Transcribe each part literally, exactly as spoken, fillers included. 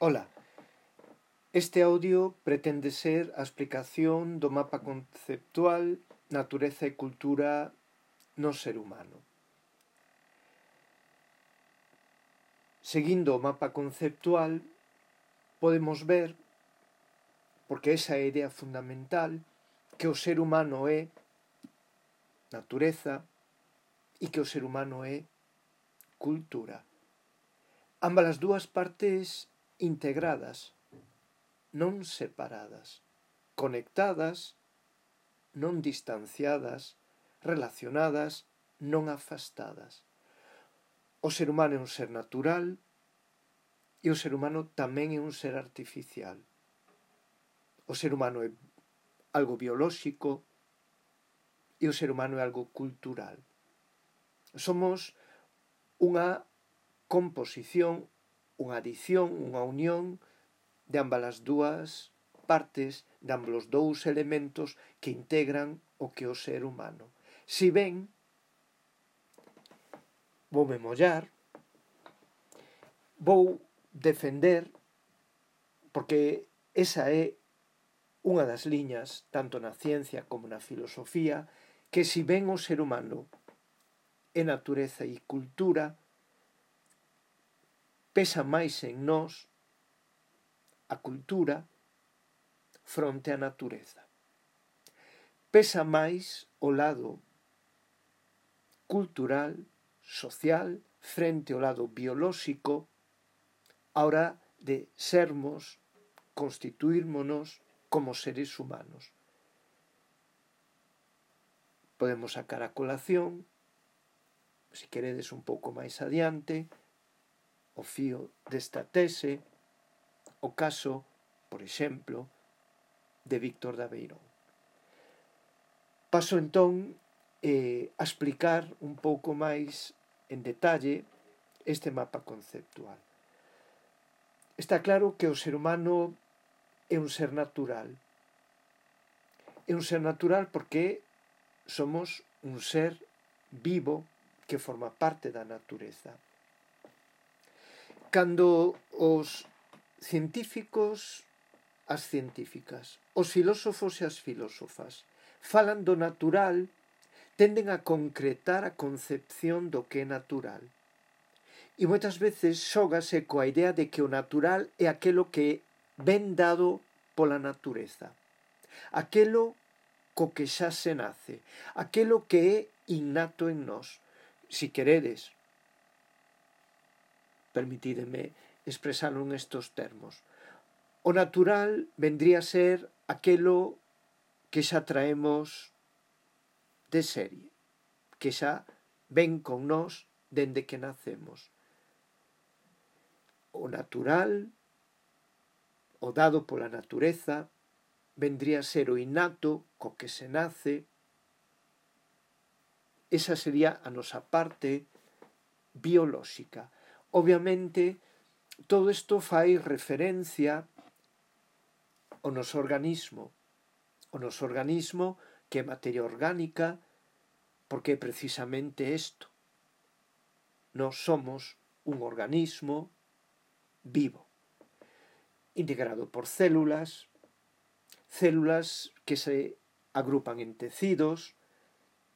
Ola, este audio pretende ser a explicación do mapa conceptual Natureza e Cultura no ser humano. Seguindo o mapa conceptual, podemos ver, porque esa é a idea fundamental, que o ser humano é natureza e que o ser humano é cultura. Ambas as dúas partes integradas, non separadas, conectadas, non distanciadas, relacionadas, non afastadas. O ser humano é un ser natural e o ser humano tamén é un ser artificial. O ser humano é algo biolóxico e o ser humano é algo cultural. Somos unha composición, unha adición, unha unión de ambas as dúas partes, de ambos os dous elementos que integran o que é o ser humano. Si ben, voume mollar, vou defender, porque esa é unha das liñas, tanto na ciencia como na filosofía, que si ben o ser humano é natureza e cultura, pesa máis en nós a cultura fronte á natureza. Pesa máis o lado cultural, social, frente ao lado biolóxico, a hora de sermos, constituírmonos como seres humanos. Podemos sacar a colación, se queredes un pouco máis adiante, o fío desta tese, o caso, por exemplo, de Víctor de Aveirón. Paso entón eh, a explicar un pouco máis en detalle este mapa conceptual. Está claro que o ser humano é un ser natural. É un ser natural porque somos un ser vivo que forma parte da natureza. Cando os científicos, as científicas, os filósofos e as filósofas falan do natural, tenden a concretar a concepción do que é natural. E moitas veces xógase coa idea de que o natural é aquelo que ven dado pola natureza, aquelo co que xa se nace, aquelo que é innato en nós. Si queredes, permitídeme expresarlo en estos termos. O natural vendría a ser aquelo que xa traemos de serie, que xa ven con nós dende que nacemos. O natural, o dado pola natureza, vendría a ser o innato co que se nace. Esa sería a nosa parte biolóxica. Obviamente, todo isto fai referencia ao noso organismo. O noso organismo, que é materia orgánica, porque é precisamente isto. Nós somos un organismo vivo, integrado por células, células que se agrupan en tecidos,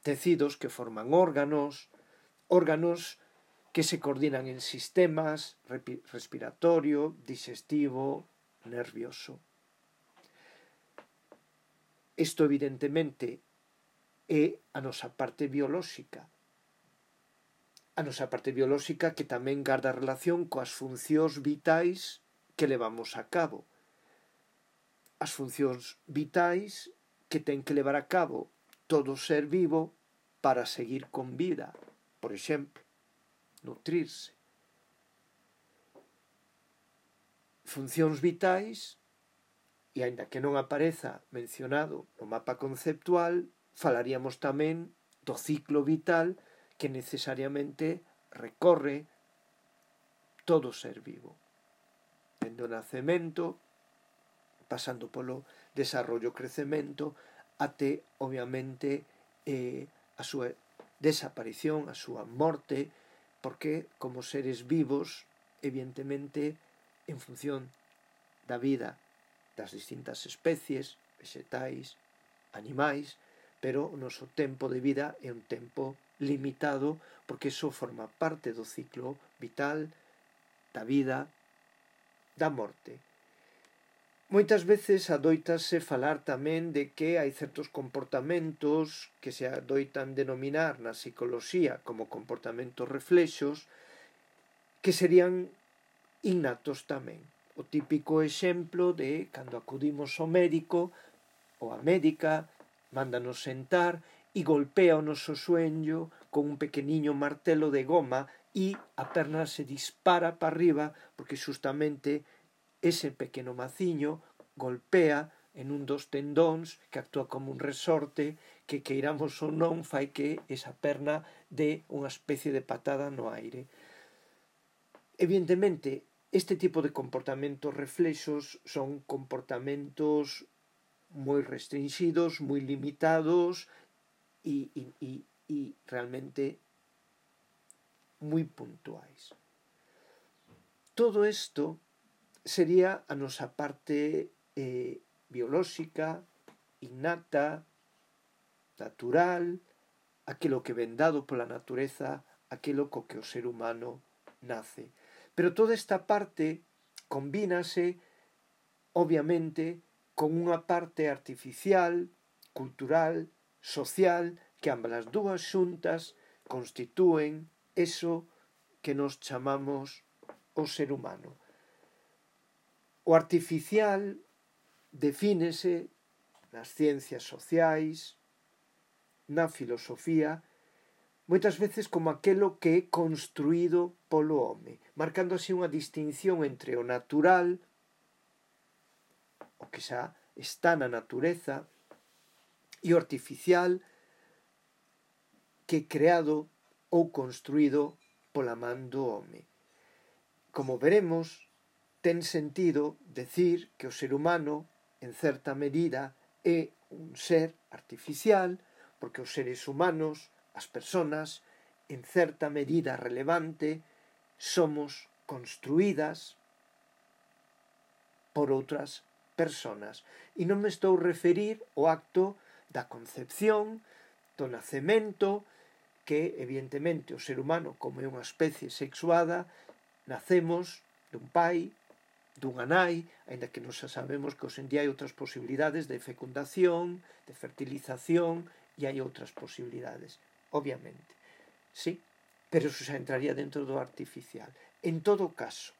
tecidos que forman órganos, órganos que se coordinan en sistemas respiratorio, digestivo, nervioso. Isto, evidentemente, é a nosa parte biolóxica. A nosa parte biolóxica que tamén garda relación coas funcións vitais que levamos a cabo. As funcións vitais que ten que levar a cabo todo ser vivo para seguir con vida. Por exemplo, nutrirse. Funcións vitais, e aínda que non apareza mencionado no mapa conceptual, falaríamos tamén do ciclo vital que necesariamente recorre todo ser vivo. Dende o nacemento, pasando polo desarrollo e crecemento, até, obviamente, eh, a súa desaparición, a súa morte, porque, como seres vivos, evidentemente, en función da vida das distintas especies, vegetais, animais, pero o noso tempo de vida é un tempo limitado porque iso forma parte do ciclo vital, da vida, da morte. Moitas veces adoitase falar tamén de que hai certos comportamentos que se adoitan denominar na psicoloxía como comportamentos reflexos que serían innatos tamén. O típico exemplo de cando acudimos ao médico ou a médica, mándanos sentar e golpea o noso sueño con un pequeniño martelo de goma e a perna se dispara para arriba porque justamente ese pequeno maciño golpea en un dos tendóns que actúa como un resorte que, queiramos ou non, fai que esa perna dé unha especie de patada no aire. Evidentemente, este tipo de comportamentos reflexos son comportamentos moi restringidos, moi limitados e, e, e, e realmente moi puntuais. Todo isto sería a nosa parte eh, biolóxica, innata, natural, aquilo que ven dado pola natureza, aquilo co que o ser humano nace. Pero toda esta parte combínase, obviamente, con unha parte artificial, cultural, social, que ambas as dúas xuntas constitúen eso que nos chamamos o ser humano. O artificial defínese nas ciencias sociais, na filosofía, moitas veces como aquelo que é construído polo home, marcando así unha distinción entre o natural, o que xa está na natureza, e o artificial, que é creado ou construído pola man do home. Como veremos, ten sentido decir que o ser humano, en certa medida, é un ser artificial, porque os seres humanos, as persoas, en certa medida relevante, somos construídas por outras persoas. E non me estou a referir ao acto da concepción, do nacemento, que evidentemente o ser humano, como é unha especie sexuada, nacemos dun pai, dunha nai, aínda que non xa sabemos que hoxe en día hai outras posibilidades de fecundación, de fertilización, e hai outras posibilidades, obviamente. Sí, pero eso xa entraría dentro do artificial. En todo caso,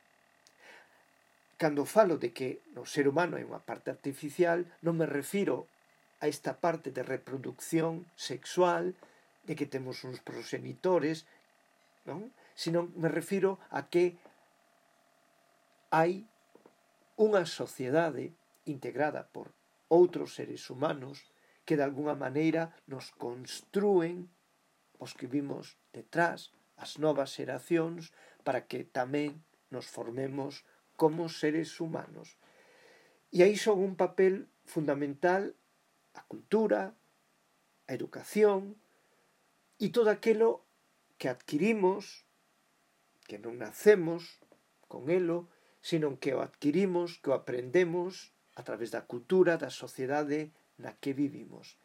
cando falo de que no ser humano hai unha parte artificial, non me refiro a esta parte de reproducción sexual, de que temos uns progenitores, non? Sino me refiro a que hai unha sociedade integrada por outros seres humanos que de alguna maneira nos construen os que vimos detrás, as novas xeracións, para que tamén nos formemos como seres humanos. E aí son un papel fundamental a cultura, a educación e todo aquilo que adquirimos, que non nacemos con elo, sino que o adquirimos, que o aprendemos a través da cultura, da sociedade na que vivimos.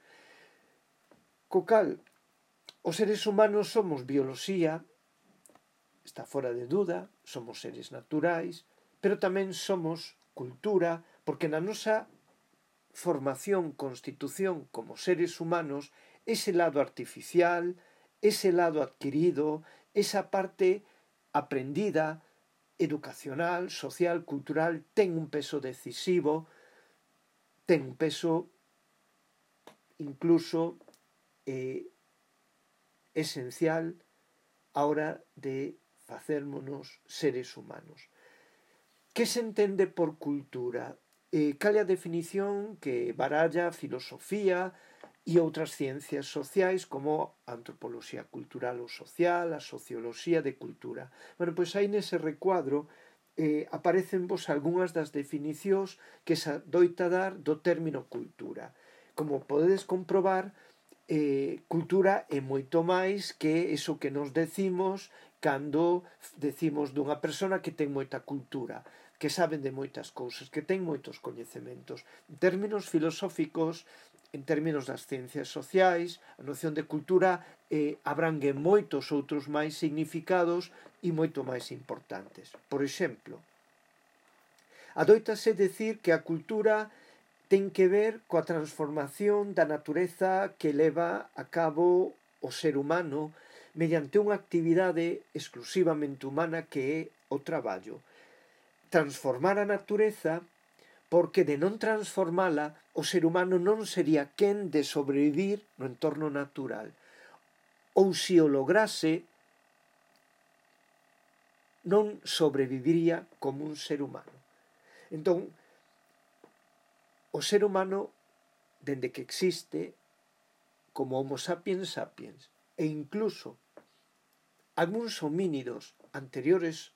Co cal, os seres humanos somos bioloxía, está fora de duda, somos seres naturais, pero tamén somos cultura, porque na nosa formación, constitución como seres humanos, ese lado artificial, ese lado adquirido, esa parte aprendida, educacional, social, cultural, ten un peso decisivo, ten un peso incluso eh, esencial a hora de facérmonos seres humanos. Que se entende por cultura? Eh, cal é a definición que baralla a filosofía e outras ciencias sociais como a antropoloxía cultural ou social, a socioloxía de cultura? Bueno, pois aí nese recuadro eh, aparecen vos algunhas das definicións que se doita dar do término cultura. Como podedes comprobar, eh, cultura é moito máis que eso que nos decimos cando decimos dunha persona que ten moita cultura. que saben de moitas cousas, que ten moitos coñecementos. En términos filosóficos, en términos das ciencias sociais, a noción de cultura eh, abrangue moitos outros máis significados e moito máis importantes. Por exemplo, adoitase decir que a cultura ten que ver coa transformación da natureza que leva a cabo o ser humano mediante unha actividade exclusivamente humana que é o traballo. Transformar a natureza porque de non transformala o ser humano non sería quen de sobrevivir no entorno natural. Ou se o lograse, non sobreviviría como un ser humano. Entón, o ser humano, dende que existe, como Homo sapiens sapiens, e incluso algúns homínidos anteriores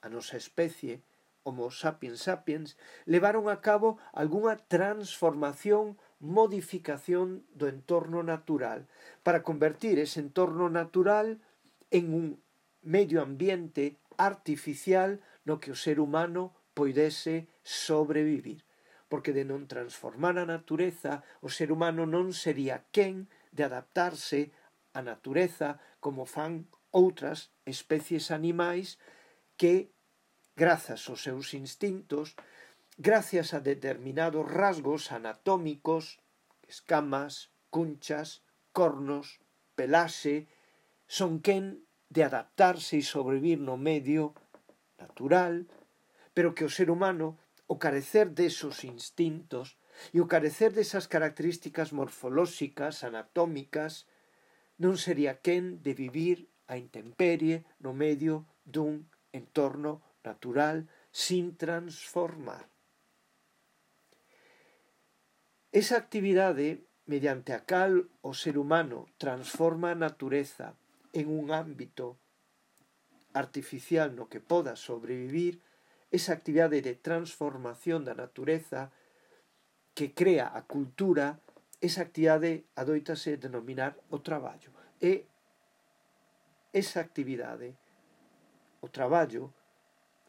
a nosa especie, Homo sapiens sapiens, levaron a cabo algunha transformación, modificación do entorno natural, para convertir ese entorno natural en un medio ambiente artificial no que o ser humano poidese sobrevivir. Porque de non transformar a natureza, o ser humano non sería quen de adaptarse á natureza como fan outras especies animais que, grazas aos seus instintos, gracias a determinados rasgos anatómicos, escamas, cunchas, cornos, pelaxe, son quen de adaptarse e sobrevivir no medio natural, pero que o ser humano, o carecer desos instintos e o carecer desas características morfolóxicas, anatómicas, non sería quen de vivir a intemperie no medio dun entorno natural sin transformar. Esa actividade mediante a cal o ser humano transforma a natureza en un ámbito artificial no que poda sobrevivir, esa actividade de transformación da natureza que crea a cultura, esa actividade adoitase denominar o traballo. E esa actividade, o traballo,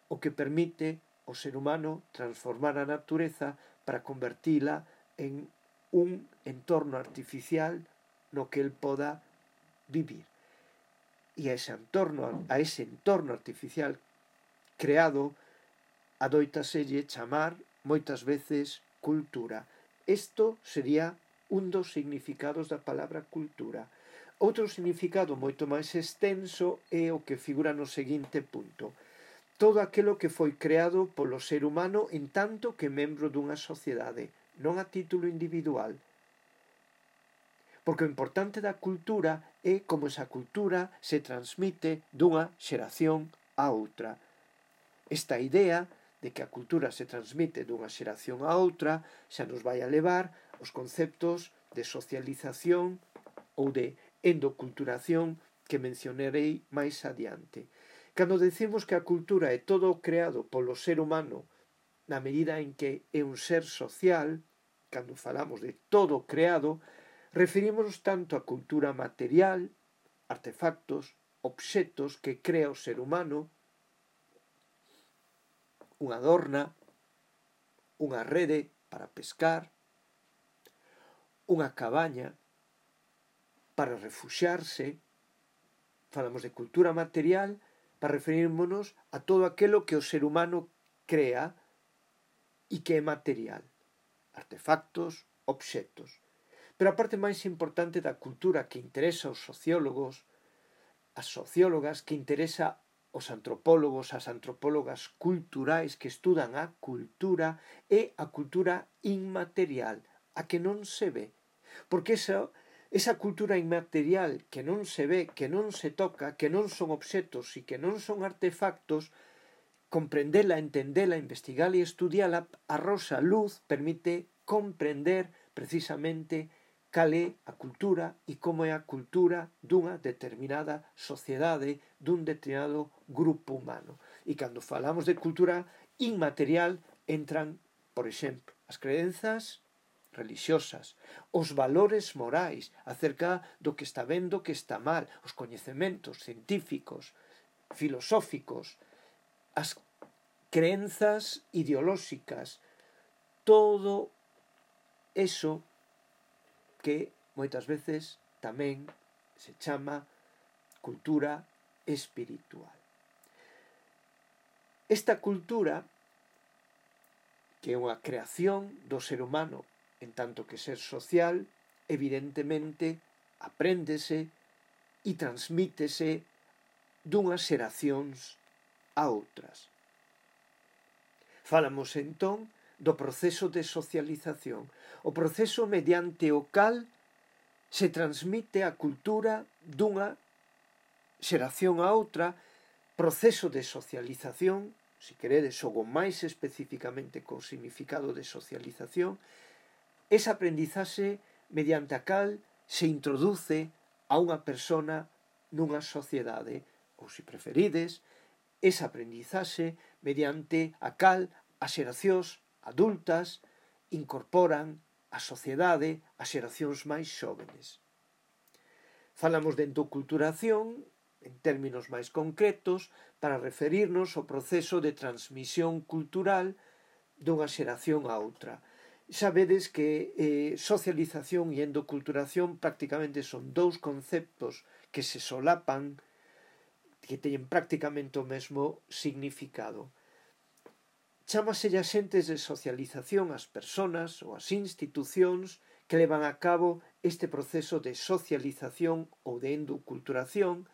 o que permite ao ser humano transformar a natureza para convertila en un entorno artificial no que el poda vivir. E a ese entorno, a ese entorno artificial creado adóitaselle chamar moitas veces cultura. Isto sería un dos significados da palabra cultura. Outro significado moito máis extenso é o que figura no seguinte punto. Todo aquilo que foi creado polo ser humano en tanto que membro dunha sociedade, non a título individual. Porque o importante da cultura é como esa cultura se transmite dunha xeración a outra. Esta idea de que a cultura se transmite dunha xeración a outra xa nos vai a levar os conceptos de socialización ou de endoculturación que mencionarei máis adiante. Cando decimos que a cultura é todo creado polo ser humano na medida en que é un ser social, cando falamos de todo creado, referímonos tanto á cultura material, artefactos, obxetos que crea o ser humano, unha adorna, unha rede para pescar, unha cabaña para refuxiarse. Falamos de cultura material para referirmonos a todo aquilo que o ser humano crea e que é material. Artefactos, obxetos. Pero a parte máis importante da cultura que interesa aos sociólogos, as sociólogas, que interesa aos antropólogos, as antropólogas culturais que estudan a cultura, é a cultura inmaterial, a que non se ve. Porque esa, esa cultura inmaterial que non se ve, que non se toca, que non son obxetos e que non son artefactos, comprendela, entendela, investigala e estudiala, arroxa luz, permite comprender precisamente cal é a cultura e como é a cultura dunha determinada sociedade, dun determinado grupo humano. E cando falamos de cultura inmaterial, entran, por exemplo, as crenzas religiosas, os valores morais acerca do que está ben, do que está mal, os coñecementos científicos, filosóficos, as crenzas ideolóxicas, todo eso que moitas veces tamén se chama cultura espiritual. Esta cultura, que é unha creación do ser humano en tanto que ser social, evidentemente apréndese e transmítese dunhas xeracións a outras. Falamos entón do proceso de socialización, o proceso mediante o cal se transmite a cultura dunha xeración a outra, proceso de socialización, se queredes, xogo máis especificamente co significado de socialización, esa aprendizaxe mediante a cal se introduce a unha persona nunha sociedade, ou se preferides, esa aprendizaxe mediante a cal as xeracións adultas incorporan a sociedade as xeracións máis xóvenes. Falamos de endoculturación en términos máis concretos para referirnos ao proceso de transmisión cultural dunha xeración a outra. Sabedes que eh, socialización e endoculturación prácticamente son dous conceptos que se solapan, que teñen prácticamente o mesmo significado. Chámase axentes de socialización as persoas ou as institucións que levan a cabo este proceso de socialización ou de endoculturación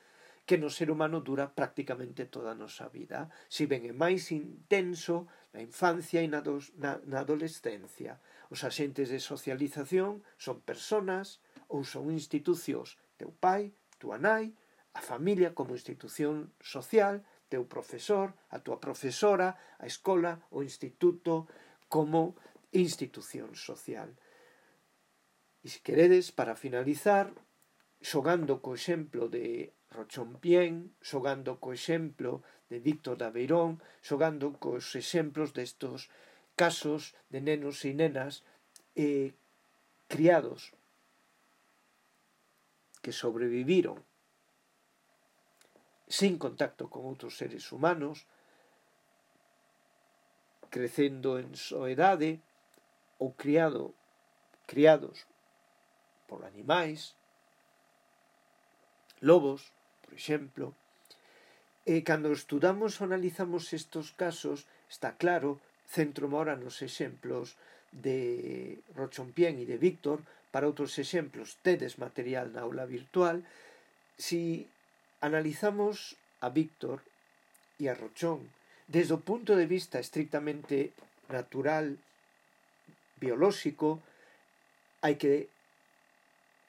que no ser humano dura prácticamente toda a nosa vida, si ben é máis intenso na infancia e na, dos, na, na adolescencia. Os axentes de socialización son persoas ou son institucións, teu pai, tua nai, a familia como institución social, teu profesor, a tua profesora, a escola, o instituto como institución social. E se queredes, para finalizar, xogando co exemplo de Rochompién, xogando co exemplo de Víctor de Aveirón, xogando cos exemplos destos casos de nenos e nenas eh, criados que sobreviviron sin contacto con outros seres humanos, crecendo en soedade ou criado, criados por animais, lobos, por exemplo. E cando estudamos ou analizamos estes casos, está claro, centro ahora nos exemplos de Rochompién e de Víctor, para outros exemplos tedes material na aula virtual. Si analizamos a Víctor e a Rochón desde o punto de vista estrictamente natural, biolóxico, hai que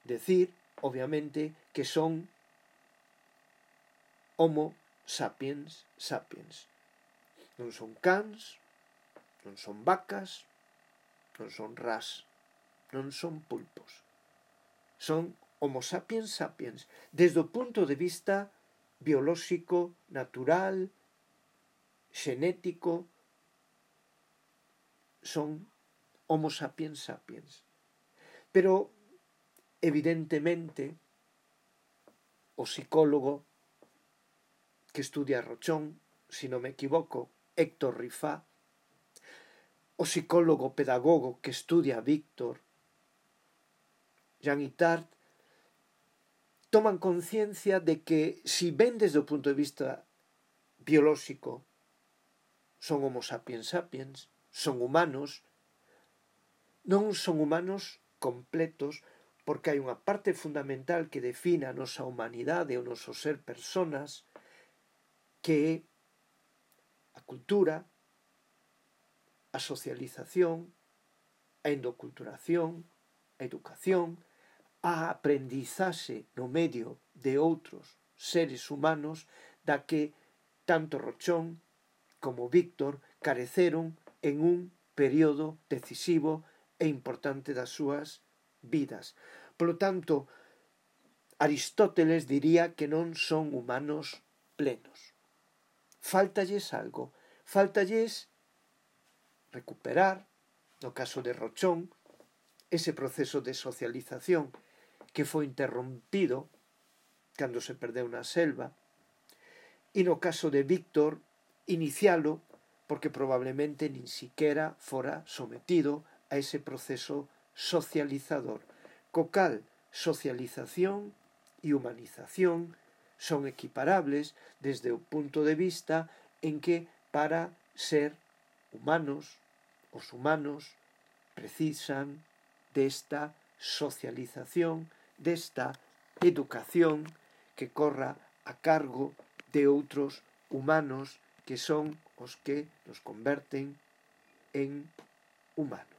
decir, obviamente, que son Homo sapiens sapiens. Non son cans, non son vacas, non son ras, non son pulpos. Son Homo sapiens sapiens, desde o punto de vista biolóxico, natural, xenético, son Homo sapiens sapiens. Pero, evidentemente, o psicólogo que estudia Rochón, se non me equivoco, Héctor Rifá, o psicólogo pedagogo que estudia a Víctor, Jean Itard, toman conciencia de que, si ben desde o punto de vista biolóxico son Homo sapiens sapiens, son humanos, non son humanos completos, porque hai unha parte fundamental que define a nosa humanidade, o noso ser persoas, que é a cultura, a socialización, a endoculturación, a educación, a aprendizaxe no medio de outros seres humanos da que tanto Rochón como Víctor careceron en un período decisivo e importante das súas vidas. Polo tanto, Aristóteles diría que non son humanos plenos. Faltalles algo, faltalles recuperar, no caso de Rochón, ese proceso de socialización que foi interrompido cando se perdeu na selva, e no caso de Víctor, inicialo porque probablemente nin siquera fora sometido a ese proceso socializador, co cal socialización e humanización son equiparables desde o punto de vista en que para ser humanos, os humanos precisan desta socialización, desta educación que corra a cargo de outros humanos que son os que nos converten en humanos.